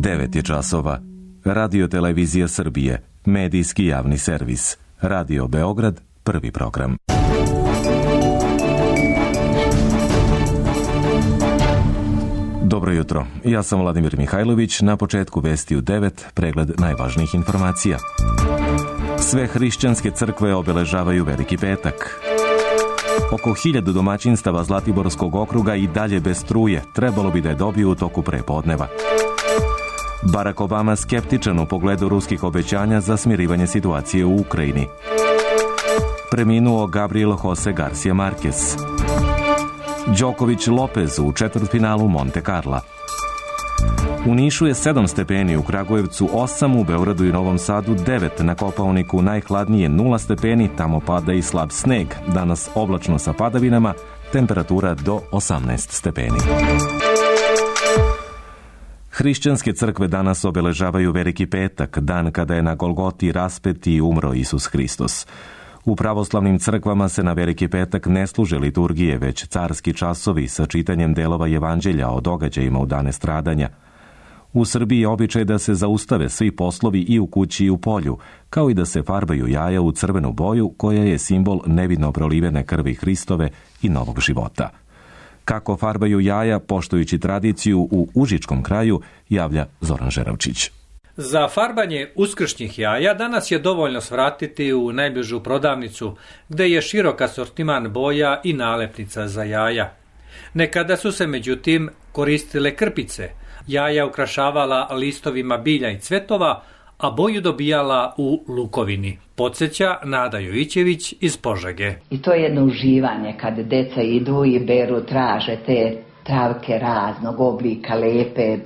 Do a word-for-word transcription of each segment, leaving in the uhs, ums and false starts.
devet je časova. Radio Televizija Srbije, medijski javni servis. Radio Beograd, prvi program. Dobro jutro, ja sam Vladimir Mihajlović, na početku vesti u devet, pregled najvažnijih informacija. Sve hrišćanske crkve obeležavaju Veliki petak. Oko hiljadu domaćinstava Zlatiborskog okruga i dalje bez struje, trebalo bi da je dobiju u toku prepodneva. Barack Obama skeptičan u pogledu ruskih obećanja za smirivanje situacije u Ukrajini. Preminuo Gabriel Jose Garcia Marquez. Đoković Lopez u četvrtfinalu Monte Carla. U Nišu je sedam stepeni, u Kragujevcu osam, u Beogradu i Novom Sadu devet, na Kopaoniku najhladnije nula stepeni, tamo pada i slab sneg. Danas oblačno sa padavinama, temperatura do osamnaest stepeni. Hrišćanske crkve danas obeležavaju Veliki petak, dan kada je na Golgoti raspet i umro Isus Hristos. U pravoslavnim crkvama se na Veliki petak ne služe liturgije, već carski časovi sa čitanjem delova evanđelja o događajima u dane stradanja. U Srbiji je običaj da se zaustave svi poslovi i u kući i u polju, kao i da se farbaju jaja u crvenu boju, koja je simbol nevidno prolivene krvi Hristove i novog života. Kako farbaju jaja, poštujući tradiciju u Užičkom kraju, javlja Zoran Žeravčić. Za farbanje uskršnjih jaja danas je dovoljno svratiti u najbližu prodavnicu, gde je širok asortiman boja i nalepnica za jaja. Nekada su se međutim koristile krpice, jaja ukrašavala listovima bilja i cvetova, a boju dobijala u lukovini. Podsjeća Nada Jovićević iz Požege. I to je jedno uživanje kad deca idu i beru, traže te travke raznog oblika, lepe,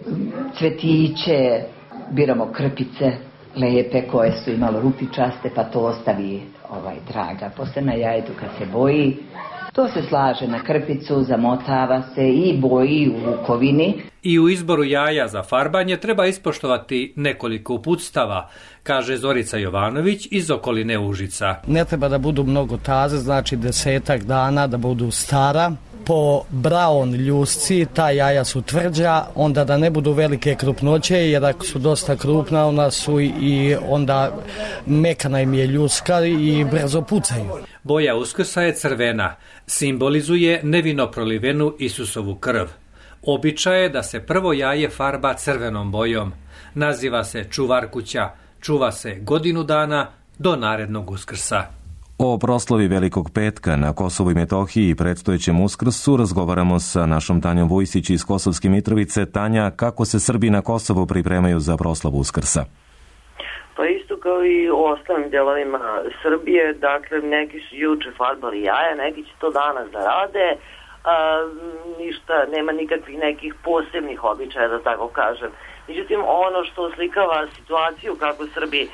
cvetiće, biramo krpice lepe koje su imalo rupičaste, pa to ostavi ovaj traga. Posle na jajetu kad se boji, to se slaže na krpicu, zamotava se i boji u lukovini. I u izboru jaja za farbanje treba ispoštovati nekoliko uputstava, kaže Zorica Jovanović iz okoline Užica. Ne treba da budu mnogo taze, znači desetak dana da budu stara. Po braun ljusci ta jaja su tvrđa, onda da ne budu velike krupnoće, jer ako su dosta krupna, ona su i onda mekana im je ljuska i brzo pucaju. Boja Uskrsa je crvena, simbolizuje nevino prolivenu Isusovu krv. Običaj je da se prvo jaje farba crvenom bojom. Naziva se čuvar kuća, čuva se godinu dana do narednog Uskrsa. O proslavi Velikog petka na Kosovu i Metohiji i predstojećem Uskrsu razgovaramo sa našom Tanjom Vujsić iz Kosovske Mitrovice. Tanja, kako se Srbi na Kosovu pripremaju za proslavu Uskrsa? Pa isto kao i u ostalim delovima Srbije, dakle neki su juče farbali jaja, neki će to danas da rade, a, ništa, nema nikakvih nekih posebnih običaja, da tako kažem. Međutim, ono što oslikava situaciju kako Srbi uh,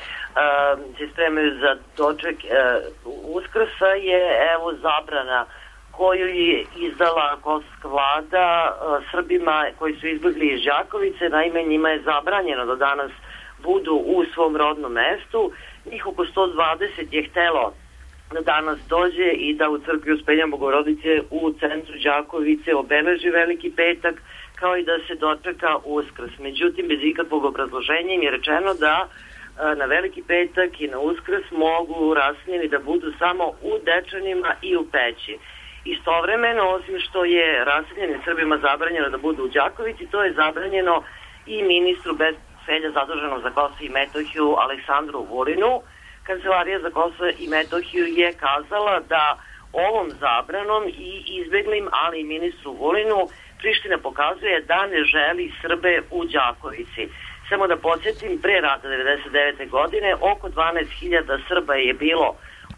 se spremaju za doček uh, Uskrsa je evo zabrana koju je izdala kosovska vlada uh, Srbima koji su izbjegli iz Đakovice. Naime, njima je zabranjeno da danas budu u svom rodnom mestu. Njih oko sto dvadeset je htelo da danas dođe i da u crkvi Uspenja Bogorodice u centru Đakovice obeleži Veliki petak, kao i da se dočeka Uskrs. Međutim, bez ikakvog obrazloženja im je rečeno da na Veliki petak i na Uskrs mogu rasnjeni da budu samo u Dečanima i u Peći. Istovremeno, osim što je raseljenim Srbima zabranjeno da budu u Đakovici, to je zabranjeno i ministru bez portfelja zaduženom za Kosovo i Metohiju Aleksandru Vulinu. Kancelarija za Kosovo i Metohiju je kazala da ovom zabranom i izbeglim, ali i ministru Vulinu, Priština pokazuje da ne želi Srbe u Đakovici. Samo da podsjetim, pre rata devedeset devete godine oko dvanaest hiljada Srba je bilo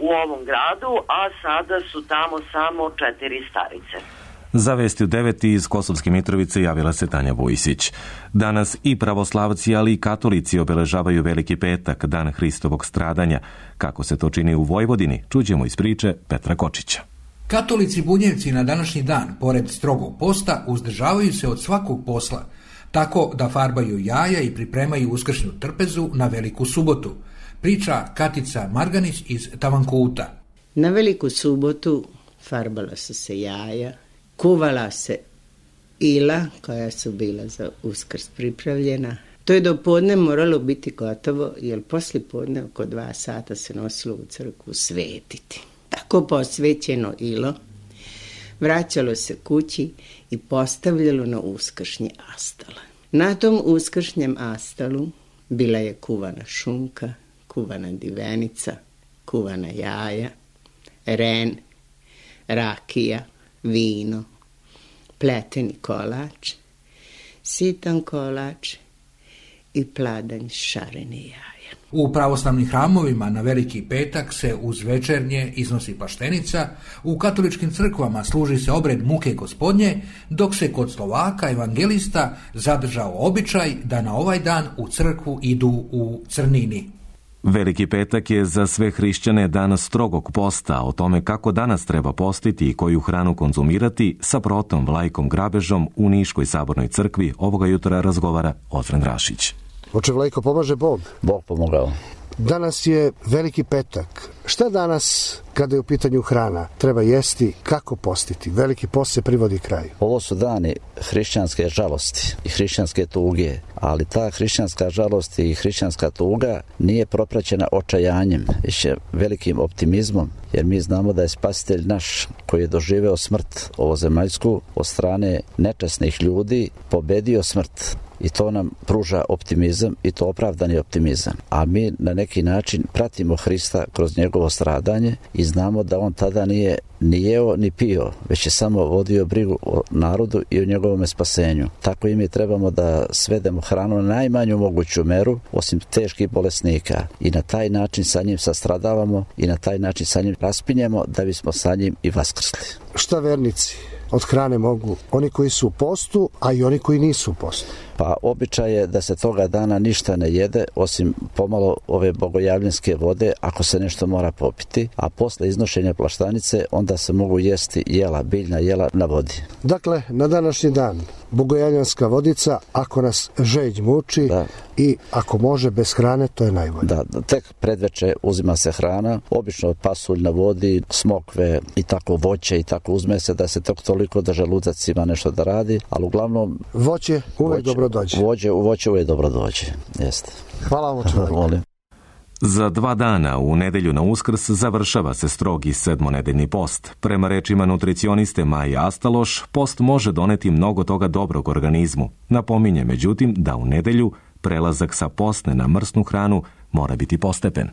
u ovom gradu, a sada su tamo samo četiri starice. Za vesti u devet iz Kosovske Mitrovice javila se Tanja Vujsić. Danas i pravoslavci, ali i katolici obeležavaju Veliki petak, dan Hristovog stradanja. Kako se to čini u Vojvodini, čućemo iz priče Petra Kočića. Katolici bunjevci na današnji dan, pored strogog posta, uzdržavaju se od svakog posla, tako da farbaju jaja i pripremaju uskršnju trpezu na Veliku subotu. Priča Katica Marganić iz Tavankuta. Na Veliku subotu farbala su se jaja, kuvala se ila koja su bila za Uskrs pripravljena. To je do podne moralo biti gotovo, jer poslije podne oko dva sata se nosilo u crkvu svetiti. Tako posvećeno ilo vraćalo se kući i postavljalo na uskršnji astal. Na tom uskršnjem astalu bila je kuvana šunka, kuvana divenica, kuvana jaja, ren, rakija, vino, pleteni kolač, sitan kolač i pladanj šarene jaja. U pravoslavnim hramovima na Veliki petak se uz večernje iznosi paštenica, u katoličkim crkvama služi se obred muke gospodnje, dok se kod Slovaka evangelista zadržao običaj da na ovaj dan u crkvu idu u crnini. Veliki petak je za sve hrišćane dan strogog posta. O tome kako danas treba postiti i koju hranu konzumirati sa protom Vlajkom Grabežom u Niškoj sabornoj crkvi ovoga jutra razgovara Ozren Rašić. Oče Vlajko, pomaže Bog? Bog pomogao. Danas je Veliki petak. Šta danas, kada je u pitanju hrana, treba jesti, kako postiti? Veliki post se privodi kraju. Ovo su dani hrišćanske žalosti i hrišćanske tuge, ali ta hrišćanska žalost i hrišćanska tuga nije propraćena očajanjem, već velikim optimizmom, jer mi znamo da je Spasitelj naš, koji je doživeo smrt ovozemaljsku od strane nečasnih ljudi, pobedio smrt. I to nam pruža optimizam i to opravdani optimizam. A mi na neki način pratimo Hrista kroz njegovo stradanje i znamo da on tada nije ni jeo ni pio, već je samo vodio brigu o narodu i o njegovom spasenju. Tako i mi trebamo da svedemo hranu na najmanju moguću meru, osim teških bolesnika. I na taj način sa njim sastradavamo i na taj način sa njim raspinjemo da bismo sa njim i vaskrsli. Šta vernici od hrane mogu? Oni koji su u postu, a i oni koji nisu u postu. Pa običaj je da se toga dana ništa ne jede, osim pomalo ove bogojavljanske vode, ako se nešto mora popiti, a posle iznošenja plaštanice onda se mogu jesti jela, biljna jela na vodi. Dakle, na današnji dan bogojavljanska vodica, ako nas žeđ muči, da. I ako može bez hrane, to je najbolje. Da, tek predveče uzima se hrana, obično pasulj na vodi, smokve i tako voće i tako uzme se da se tok toliko da želudac ima nešto da radi, ali uglavnom voće uvek voće, dobro dođe. Voće, voće uvek dobro dođe, jeste. Hvala vam, čovjek. Za dva dana u nedelju na Uskrs završava se strogi sedmonedeljni post. Prema rečima nutricioniste Maje Astaloš, post može doneti mnogo toga dobrog organizmu. Napominje međutim da u nedelju prelazak sa postne na mrsnu hranu mora biti postepen.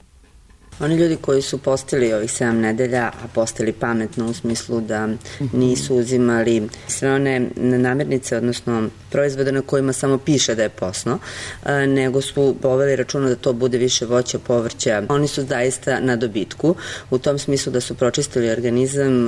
Oni ljudi koji su postili ovih sedam nedelja, a postili pametno u smislu da nisu uzimali sve one namirnice, odnosno proizvode na kojima samo piše da je postno, nego su poveli računa da to bude više voća, povrća. Oni su zaista na dobitku, u tom smislu da su pročistili organizam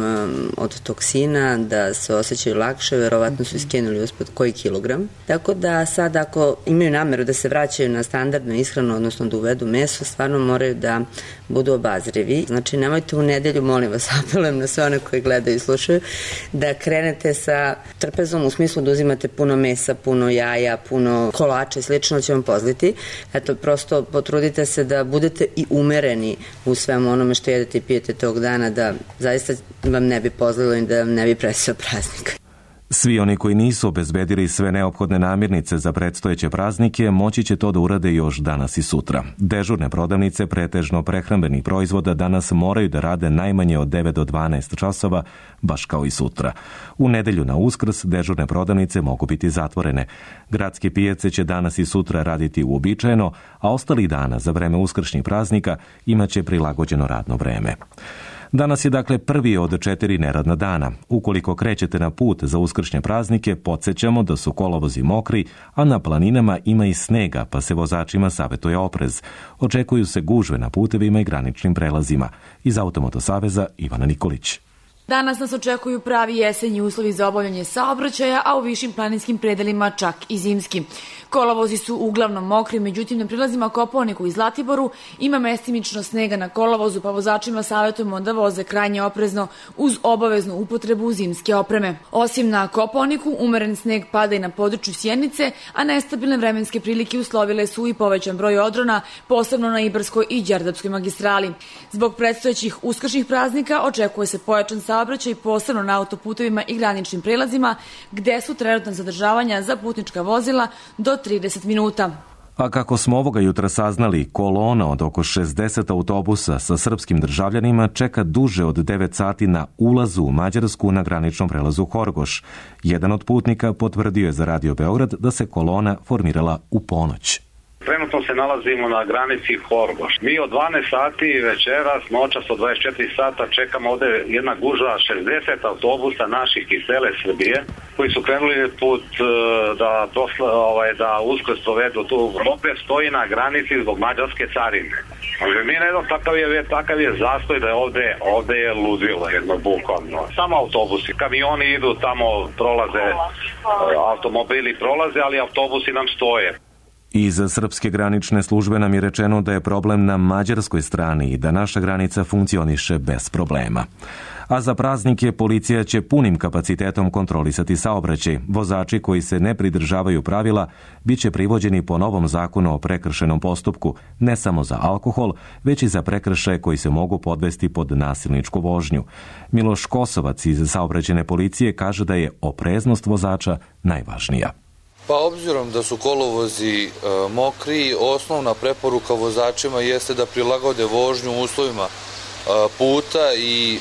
od toksina, da se osjećaju lakše, verovatno su iskenuli uspod koji kilogram. Tako da sad ako imaju nameru da se vraćaju na standardnu ishranu, odnosno da uvedu meso, stvarno moraju da budu obazrivi. Znači, nemojte u nedelju, molim vas, apelujem na sve one koji gledaju i slušaju, da krenete sa trpezom u smislu da uzimate puno mesa, puno jaja, puno kolača i slično će vam pozliti. Eto, prosto potrudite se da budete i umereni u svemu onome što jedete i pijete tog dana, da zaista vam ne bi pozlilo i da vam ne bi presio praznik. Svi oni koji nisu obezbedili sve neophodne namirnice za predstojeće praznike moći će to da urade još danas i sutra. Dežurne prodavnice pretežno prehrambenih proizvoda danas moraju da rade najmanje od devet do dvanaest časova, baš kao i sutra. U nedelju na Uskrs dežurne prodavnice mogu biti zatvorene. Gradske pijace će danas i sutra raditi uobičajeno, a ostalih dana za vreme uskršnjih praznika imaće prilagođeno radno vreme. Danas je dakle prvi od četiri neradna dana. Ukoliko krećete na put za uskršnje praznike, podsjećamo da su kolovozi mokri, a na planinama ima i snega, pa se vozačima savjetuje oprez. Očekuju se gužve na putevima i graničnim prelazima. Iz Automoto saveza Ivana Nikolić. Danas nas očekuju pravi jesenji uslovi za obavljanje saobraćaja, a u višim planinskim predelima čak i zimski. Kolovozi su uglavnom mokri, međutim na prilazima Kopaoniku i Zlatiboru ima mestimično snega na kolovozu, pa vozačima savjetujemo da voze krajnje oprezno uz obaveznu upotrebu zimske opreme. Osim na Kopaoniku, umeren sneg pada i na području Sjenice, a nestabilne vremenske prilike uslovile su i povećan broj odrona, posebno na Ibarskoj i Đerdapskoj magistrali. Zbog predstojećih uskršnjih praznika očekuje se pojačan saobraćaj, posebno na autoputevima i graničnim prelazima, gde su trenutna zadržavanja za putnička vozila do trideset minuta. A kako smo ovoga jutra saznali, kolona od oko šezdeset autobusa sa srpskim državljanima čeka duže od devet sati na ulazu u Mađarsku na graničnom prelazu Horgoš. Jedan od putnika potvrdio je za Radio Beograd da se kolona formirala u ponoć. Trenutno se nalazimo na granici Horgoš. Mi od dvanaest sati večeras, noćas od dvadeset četiri sata čekamo ovde jedna gužva šezdeset autobusa naših iz cele Srbije koji su krenuli put da, dosla, ovaj, da uskrs provedu tu. Opet stoji na granici zbog mađarske carine. Znači, mi ne znam, takav je, takav je zastoj da je ovde, ovde je ludilo jedno bukvalno. Samo autobusi, kamioni idu tamo, prolaze, automobili prolaze, ali autobusi nam stoje. Iz srpske granične službe nam je rečeno da je problem na mađarskoj strani i da naša granica funkcioniše bez problema. A za praznike policija će punim kapacitetom kontrolisati saobraćaj. Vozači koji se ne pridržavaju pravila bit će privođeni po novom zakonu o prekršajnom postupku, ne samo za alkohol, već i za prekršaje koji se mogu podvesti pod nasilničku vožnju. Miloš Kosovac iz saobraćajne policije kaže da je opreznost vozača najvažnija. Pa obzirom da su kolovozi e, mokri, osnovna preporuka vozačima jeste da prilagode vožnju uslovima e, puta i e,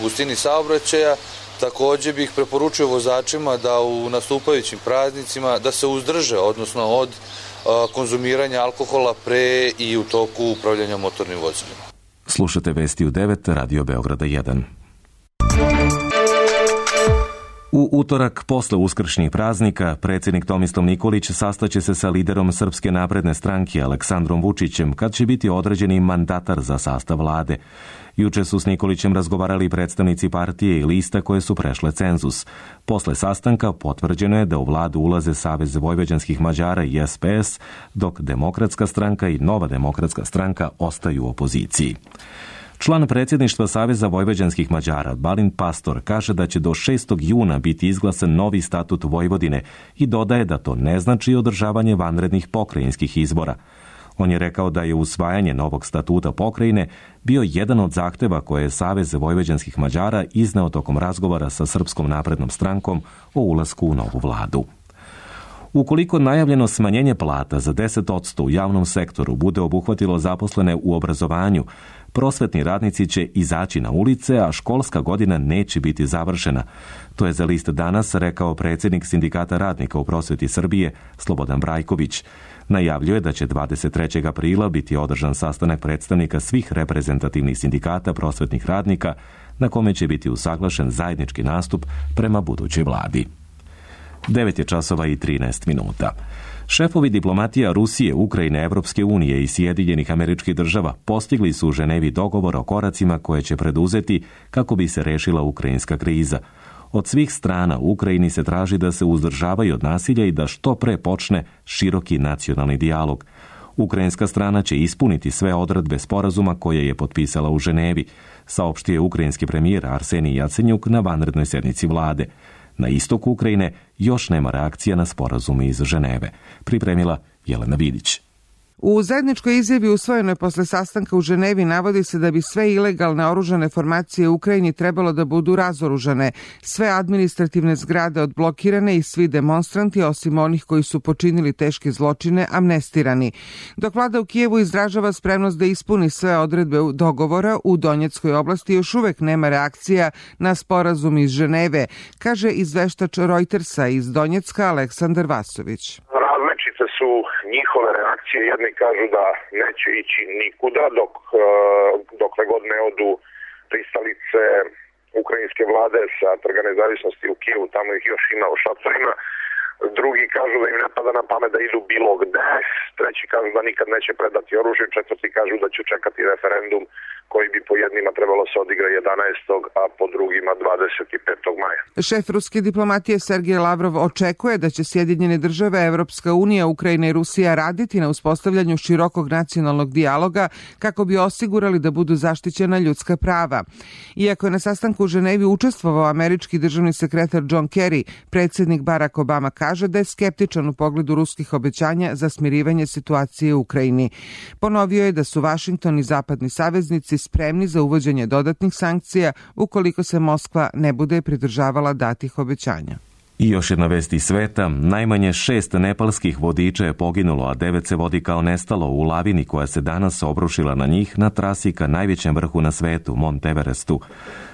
gustini saobraćaja. Također bih preporučio vozačima da u nastupajućim praznicima da se uzdrže, odnosno od e, konzumiranja alkohola pre i u toku upravljanja motornim vozilima. Slušate vesti u devet, Radio Beograda jedan. U utorak, posle uskršnjih praznika, predsjednik Tomislav Nikolić sastaće se sa liderom Srpske napredne stranke Aleksandrom Vučićem, kad će biti određeni mandatar za sastav vlade. Juče su s Nikolićem razgovarali predstavnici partije i lista koje su prešle cenzus. Posle sastanka potvrđeno je da u vladu ulaze Savez vojvođanskih Mađara i S P S, dok Demokratska stranka i Nova demokratska stranka ostaju u opoziciji. Član predsjedništva Saveza vojvođanskih Mađara, Balint Pastor, kaže da će do šestog juna biti izglasan novi statut Vojvodine i dodaje da to ne znači održavanje vanrednih pokrajinskih izbora. On je rekao da je usvajanje novog statuta pokrajine bio jedan od zahteva koje je Savez vojvođanskih Mađara izneo tokom razgovora sa Srpskom naprednom strankom o ulasku u novu vladu. Ukoliko najavljeno smanjenje plata za deset posto u javnom sektoru bude obuhvatilo zaposlene u obrazovanju, prosvetni radnici će izaći na ulice, a školska godina neće biti završena. To je za list Danas rekao predsjednik Sindikata radnika u prosveti Srbije, Slobodan Brajković. Najavljuje da će dvadeset trećeg aprila biti održan sastanak predstavnika svih reprezentativnih sindikata prosvetnih radnika, na kome će biti usaglašen zajednički nastup prema budućoj vladi. devet je časova i trinaest minuta. Šefovi diplomatija Rusije, Ukrajine, Evropske unije i Sjedinjenih Američkih Država postigli su u Ženevi dogovor o koracima koje će preduzeti kako bi se rešila ukrajinska kriza. Od svih strana u Ukrajini se traži da se uzdržavaju od nasilja i da što pre počne široki nacionalni dijalog. Ukrajinska strana će ispuniti sve odredbe sporazuma koje je potpisala u Ženevi, saopštio je ukrajinski premijer Arsenij Jacenjuk na vanrednoj sednici vlade. Na istoku Ukrajine još nema reakcija na sporazum iz Ženeve, pripremila Jelena Vidić. U zajedničkoj izjavi usvojenoj posle sastanka u Ženevi navodi se da bi sve ilegalne oružane formacije u Ukrajini trebalo da budu razoružane, sve administrativne zgrade odblokirane i svi demonstranti, osim onih koji su počinili teške zločine, amnestirani. Dok vlada u Kijevu izražava spremnost da ispuni sve odredbe dogovora, u Donjeckoj oblasti još uvek nema reakcija na sporazum iz Ženeve, kaže izveštač Reutersa iz Donjecka Aleksandar Vasović. Su njihove reakcije, jedni kažu da neće ići nikuda dok dokle god ne odu pristalice ukrajinske vlade sa Trga nezavisnosti u Kijevu, tamo ih još ima u šatorima. Drugi kažu da im ne pada na pamet da idu bilo gde, treći kažu da nikad neće predati oružje, četvrti kažu da će čekati referendum koji bi po jednima trebalo se odigra jedanaestog a po drugima dvadeset petog maja. Šef ruske diplomatije Sergej Lavrov očekuje da će Sjedinjene države, Evropska unija, Ukrajina i Rusija raditi na uspostavljanju širokog nacionalnog dijaloga kako bi osigurali da budu zaštićena ljudska prava. Iako je na sastanku u Ženevi učestvovao američki državni sekretar John Kerry, predsjednik Barack Obama kaže da je skeptičan u pogledu ruskih obećanja za smirivanje situacije u Ukrajini. Ponovio je da su Vašington i zapadni saveznici spremni za uvođenje dodatnih sankcija ukoliko se Moskva ne bude pridržavala datih obećanja. I još jedna vest iz sveta, najmanje šest nepalskih vodiča je poginulo, a devet se vodi kao nestalo u lavini koja se danas obrušila na njih na trasi ka najvećem vrhu na svetu, Mont Everestu.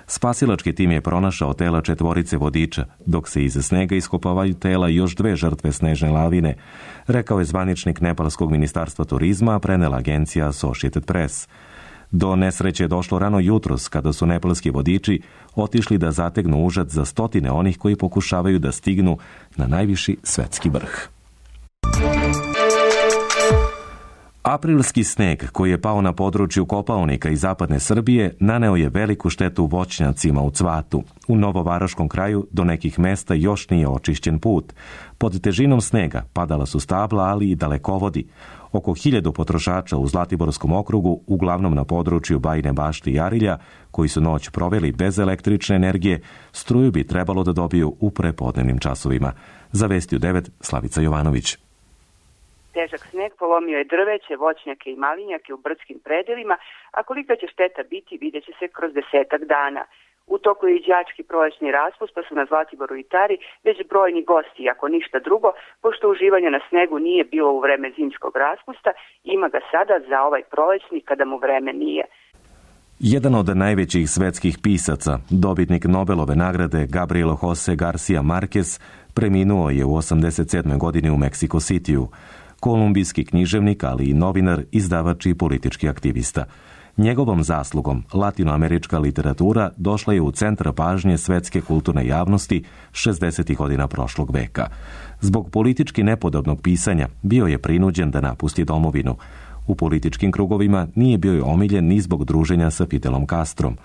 Spasilački tim je pronašao tela četvorice vodiča, dok se iza snega iskopavaju tela još dve žrtve snežne lavine, rekao je zvaničnik Nepalskog ministarstva turizma, prenela agencija Associated Press. Do nesreće je došlo rano jutros kada su nepalski vodiči otišli da zategnu užad za stotine onih koji pokušavaju da stignu na najviši svetski vrh. Aprilski sneg koji je pao na području Kopaonika i zapadne Srbije naneo je veliku štetu voćnjacima u Cvatu. U Novovaroškom kraju do nekih mesta još nije očišćen put. Pod težinom snega padala su stabla, ali i dalekovodi. Oko hiljadu potrošača u Zlatiborskom okrugu, uglavnom na području Bajine Bašte i Arilja, koji su noć proveli bez električne energije, struju bi trebalo da dobiju u prepodnevnim časovima. Za Vesti u devet, Slavica Jovanović. Težak sneg polomio je drveće, voćnjake i malinjake u brdskim predelima, a kolika će šteta biti vidjet će se kroz desetak dana. U toku je i đački prolećni raspust, pa su na Zlatiboru i Tari već brojni gosti, ako ništa drugo, pošto uživanja na snegu nije bilo u vreme zimskog raspusta, ima ga sada za ovaj prolećni kada mu vreme nije. Jedan od najvećih svetskih pisaca, dobitnik Nobelove nagrade Gabriel Jose Garcia Marquez, preminuo je u osamdeset sedmoj godini u Meksiko Cityu. Kolumbijski književnik, ali i novinar, izdavač i politički aktivista. Njegovom zaslugom latinoamerička literatura došla je u centar pažnje svetske kulturne javnosti šezdesetih godina prošlog veka. Zbog politički nepodobnog pisanja bio je prinuđen da napusti domovinu. U političkim krugovima nije bio omiljen ni zbog druženja sa Fidelom Castrom.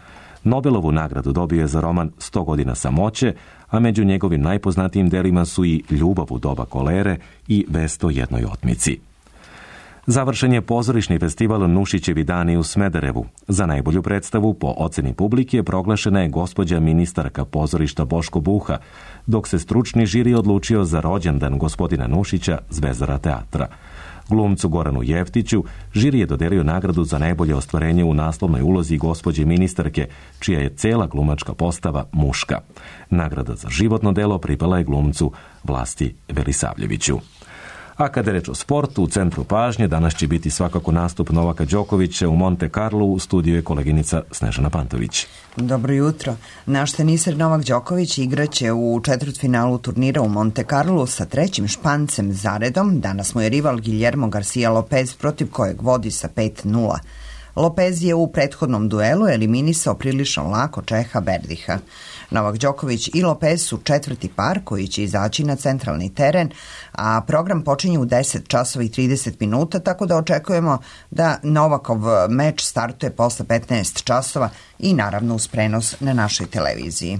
Nobelovu nagradu dobio je za roman Sto godina samoće, a među njegovim najpoznatijim delima su i Ljubav u doba kolere i Vest o jednoj otmici. Završen je pozorišni festival Nušićevi dani u Smederevu. Za najbolju predstavu po oceni publike proglašena je gospođa ministarka pozorišta Boško Buha, dok se stručni žiri odlučio za rođendan gospodina Nušića, zvezdara teatra. Glumcu Goranu Jeftiću žiri je dodelio nagradu za najbolje ostvarenje u naslovnoj ulozi gospođe ministarke, čija je cela glumačka postava muška. Nagrada za životno delo pripala je glumcu Vlasti Velisavljeviću. A kada je reč o sportu, u centru pažnje danas će biti svakako nastup Novaka Đokovića u Monte Carlo. U studiju je koleginica Snežana Pantović. Dobro jutro. Naš teniser Novak Đoković igraće u četvrtfinalu turnira u Monte Carlo sa trećim Špancem zaredom. Danas mu je rival Guillermo Garcia Lopez, protiv kojeg vodi sa pet nula. Lopez je u prethodnom duelu eliminisao prilično lako Čeha Berdiha. Novak Đoković i Lopez su četvrti par koji će izaći na centralni teren, a program počinje u deset časova i trideset minuta, tako da očekujemo da Novakov meč startuje posle petnaest časova i naravno uz prenos na našoj televiziji.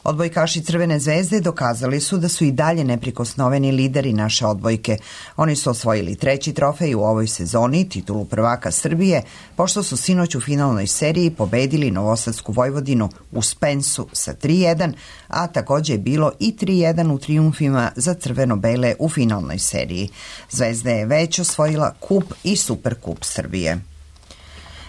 Odbojkaši Crvene zvezde dokazali su da su i dalje neprikosnoveni lideri naše odbojke. Oni su osvojili treći trofej u ovoj sezoni, titulu prvaka Srbije, pošto su sinoć u finalnoj seriji pobedili Novosadsku Vojvodinu u Spensu sa tri jedan, a također je bilo i tri jedan u trijumfima za crveno-bele u finalnoj seriji. Zvezda je već osvojila kup i Superkup Srbije.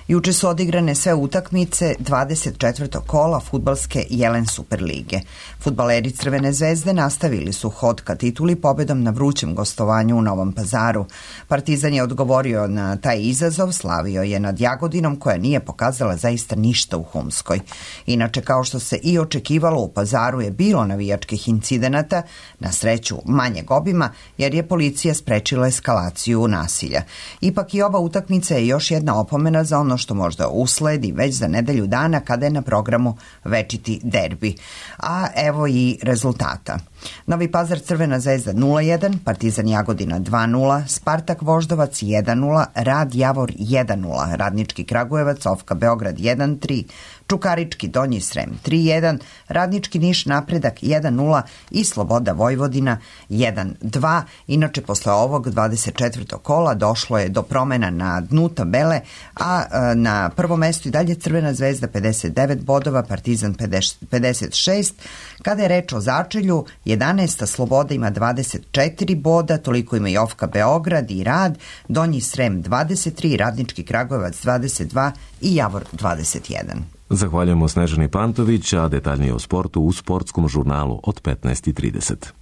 Juče su odigrane sve utakmice dvadeset četvrtog kola fudbalske Jelen Superlige. Fudbaleri Crvene zvezde nastavili su hod ka tituli pobedom na vrućem gostovanju u Novom Pazaru. Partizan je odgovorio na taj izazov, slavio je nad Jagodinom koja nije pokazala zaista ništa u Humskoj. Inače, kao što se i očekivalo, u Pazaru je bilo navijačkih incidenata, na sreću manjeg obima, jer je policija sprečila eskalaciju nasilja. Ipak i ova utakmica je još jedna opomena za ono što možda usledi već za nedelju dana kada je na programu večiti derbi. A evo i rezultata. Novi Pazar Crvena zvezda nula jedan, Partizan Jagodina dva nula, Spartak Voždovac jedan nula, Rad Javor jedan nula, Radnički Kragujevac, Ofka Beograd jedan tri, Čukarički Donji Srem tri jedan, Radnički Niš Napredak jedan nula i Sloboda Vojvodina jedan dva. Inače, posle ovog dvadeset četvrtog kola došlo je do promena na dnu tabele, a na prvom mestu i dalje Crvena zvezda pedeset devet bodova, Partizan pedeset šest. Kada je reč o začelju, jedanaesta Sloboda ima dvadeset četiri boda, toliko ima i Ofka Beograd i Rad, Donji Srem dvadeset tri, Radnički Kragujevac dvadeset dva i Javor dvadeset jedan. Zahvaljujemo Snežani Pantović, a detaljnije o sportu u sportskom žurnalu od petnaest i trideset.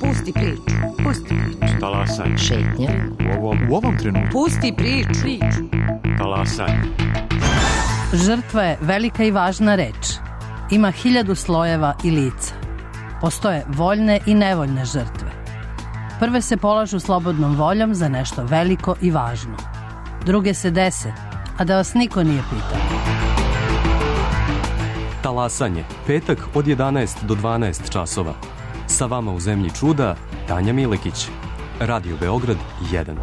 Pusti priču, pusti priču. Talasaj. Šetnja. U ovom, u ovom trenutku. Pusti priču. priču. Talasaj. Žrtva je velika i važna reč. Ima hiljadu slojeva i lica. Postoje voljne i nevoljne žrtve. Prve se polažu slobodnom voljom za nešto veliko i važno. Druge se dese, a da vas niko nije pitao. Talasanje, petak od jedanaest do dvanaest časova. Sa vama u Zemlji čuda, Tanja Milekić. Radio Beograd jedan.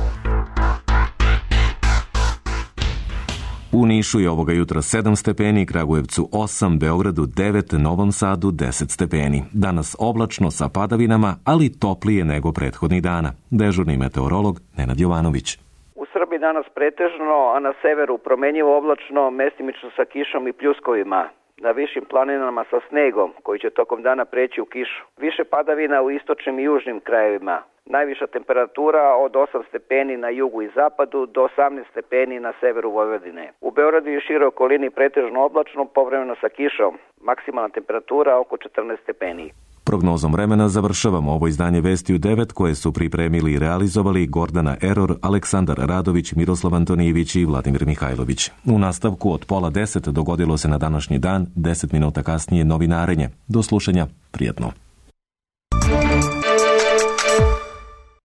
U Nišu je ovoga jutra sedam stepeni, Kragujevcu osam, Beogradu devet, Novom Sadu deset stepeni. Danas oblačno sa padavinama, ali toplije nego prethodnih dana. Dežurni meteorolog Nenad Jovanović. U Srbiji danas pretežno, a na severu promenjivo oblačno, mestimično sa kišom i pljuskovima. Na višim planinama sa snegom, koji će tokom dana preći u kišu. Više padavina u istočnim i južnim krajevima. Najviša temperatura od osam stepeni na jugu i zapadu do osamnaest stepeni na severu Vojvodine. U Beogradu i široj okolini pretežno oblačno, povremeno sa kišom. Maksimalna temperatura oko četrnaest stepeni. Prognozom vremena završavamo ovo izdanje Vesti u devet koje su pripremili i realizovali Gordana Eror, Aleksandar Radović, Miroslav Antonijević i Vladimir Mihajlović. U nastavku od pola deset dogodilo se na današnji dan, deset minuta kasnije novinarenje. Do slušanja, prijetno.